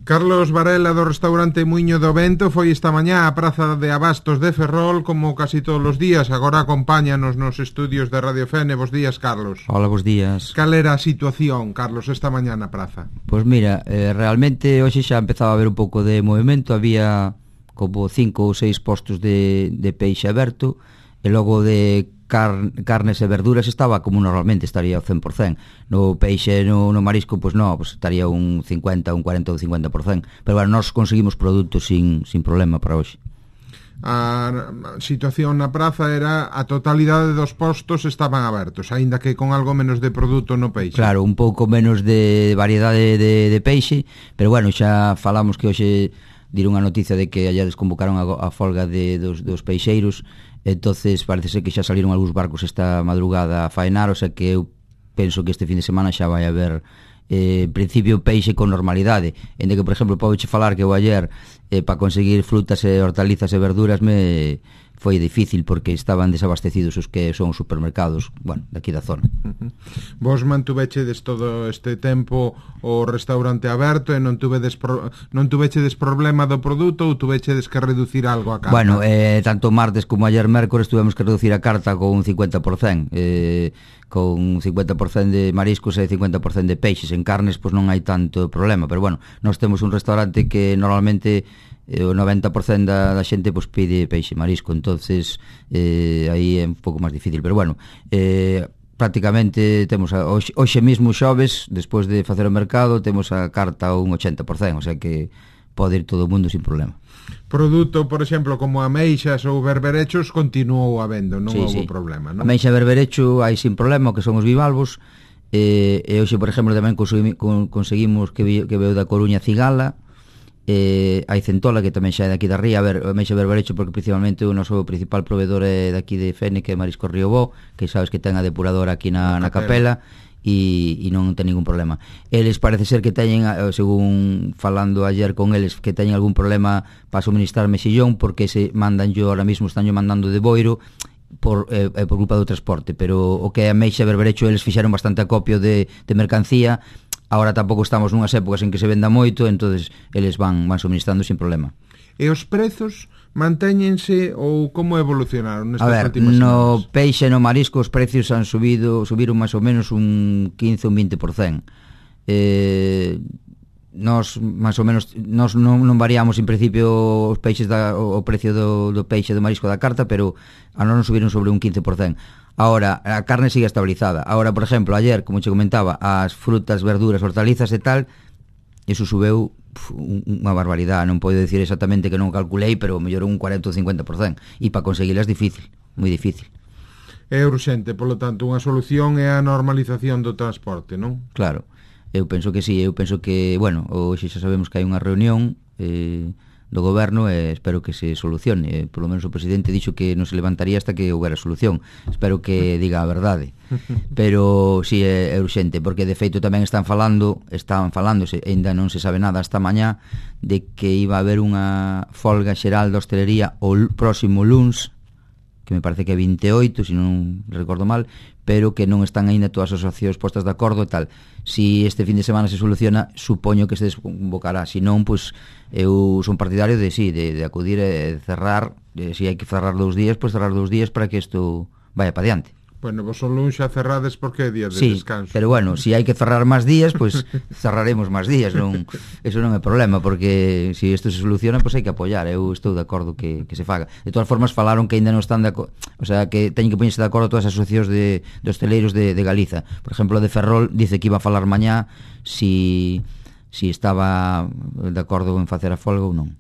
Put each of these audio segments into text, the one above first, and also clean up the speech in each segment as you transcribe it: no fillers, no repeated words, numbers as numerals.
Carlos Varela do restaurante Muiño do Vento foi esta mañá á Praza de Abastos de Ferrol como casi todos os días. Agora acompáñanos nos estudios de Radio Fene. Bos días, Carlos. Hola, bos días. Cal era a situación, Carlos, esta mañá na praza? Pois mira, realmente hoxe xa empezaba a haber un pouco de movimento. Había como 5 ou 6 postos de peixe aberto, e logo de carnes e verduras estaba como normalmente, estaría ao 100%. No peixe, no marisco, pois non, pois estaría un 50, un 40 ou 50%. Pero bueno, nós conseguimos produtos sin problema para hoxe. A situación na praza era a totalidade dos postos estaban abertos, aínda que con algo menos de produto no peixe. Claro, un pouco menos de variedade de peixe, pero bueno, xa falamos que hoxe diron a noticia de que allá desconvocaron a folga dos peixeiros. Entonces parece ser que xa saliron algúns barcos esta madrugada a faenar, o sea que eu penso que este fin de semana xa vai haber en principio peixe con normalidade. Ende que, por exemplo, podoche falar que eu ayer para conseguir frutas e hortalizas e verduras foi difícil porque estaban desabastecidos os que son os supermercados, bueno, daqui da zona. Vos mantuvechedes todo este tempo o restaurante aberto e non tuvechedes problema do produto ou tuvechedes que reducir algo a carta? Bueno, tanto martes como ayer mércores tuvemos que reducir a carta con un 50%, con 50% de mariscos e 50% de peixes. En carnes pois non hai tanto problema, pero bueno, nós temos un restaurante que normalmente o 90% da xente pois pide peixe e marisco, entonces aí é un pouco máis difícil, pero bueno, prácticamente temos hoxe mesmo xoves, despois de facer o mercado, temos a carta un 80%, o sea que pode ir todo o mundo sin problema. Produto, por exemplo, como ameixas ou berberechos continuou habendo, non houve problema, non? Ameixa e berberecho hai sin problema, que son os bivalvos, e hoxe, por exemplo, tamén conseguimos que veu da Coruña cigala, hai centola que tamén xa é daqui da ría. A ver, ameixa e berberecho porque principalmente o noso principal proveedor é daqui de Fene, que é Marisco Riobó, que sabes que ten a depuradora aquí na capela, e non ten ningún problema. Eles parece ser que teñen, según falando ayer con eles, que teñen algún problema para suministrar mexillón, porque se mandan ahora mismo están mandando de Boiro por culpa do transporte, pero o que é ameixa e berberecho eles fixeron bastante acopio de mercancía. Agora tampouco estamos nunhas épocas en que se venda moito, entonces eles van suministrando sin problema. E os prezos mantéñense ou como evolucionaron nestas últimas semanas? No peixe e no marisco os precios subiron máis ou menos un 15 ou un 20%. Nós máis ou menos non variamos en principio os peixes o precio do peixe e do marisco da carta, pero a nós non subiron sobre un 15%. Ahora, a carne sigue estabilizada. Ahora, por exemplo, ayer, como che comentaba, as frutas, verduras, hortalizas e tal, eso subeu unha barbaridade. Non podo dicir exactamente que non calculei, pero mellorou un 40 ou 50%. E para conseguilas difícil, moi difícil. É urxente, polo tanto, unha solución é a normalización do transporte, non? Claro, eu penso que sí. Eu penso que, bueno, hoxe xa sabemos que hai unha reunión do goberno e espero que se solucione. Por lo menos o presidente dixo que non se levantaría hasta que houbera solución. Espero que diga a verdade. Pero sí é urxente, porque de feito tamén estaban falándose, ainda non se sabe nada hasta mañá, de que iba a haber unha folga xeral da hostelería o próximo luns, que me parece que é 28, se non recordo mal, pero que non están aínda todas as asociacións postas de acordo e tal. Si este fin de semana se soluciona, supoño que se desconvocará. Se non, pois eu son partidario de acudir e cerrar. Se hai que cerrar 2 días, pois cerrar 2 días para que isto vaya para diante. Bueno, vos son luns xa cerrades porque é día de descanso. Sí, pero bueno, se hai que cerrar máis días, pois cerraremos máis días, eso non é problema, porque se isto se soluciona, pois hai que apoiar. Eu estou de acordo que se faga. De todas formas, falaron que ainda non están de acordo, o sea, que teñen que poñerse de acordo todas as asociacións de hosteleiros de Galiza. Por exemplo, de Ferrol dice que iba a falar mañá si estaba de acordo en facer a folga ou non.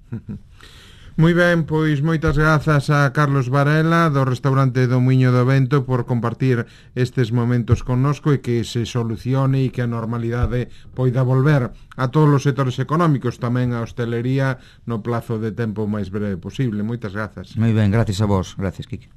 Moi ben, pois moitas grazas a Carlos Varela do restaurante do Muiño do Vento por compartir estes momentos connosco e que se solucione e que a normalidade poida volver a todos os sectores económicos, tamén a hostelería no plazo de tempo máis breve posible. Moitas grazas. Moi ben, gracias a vos. Gracias, Quique.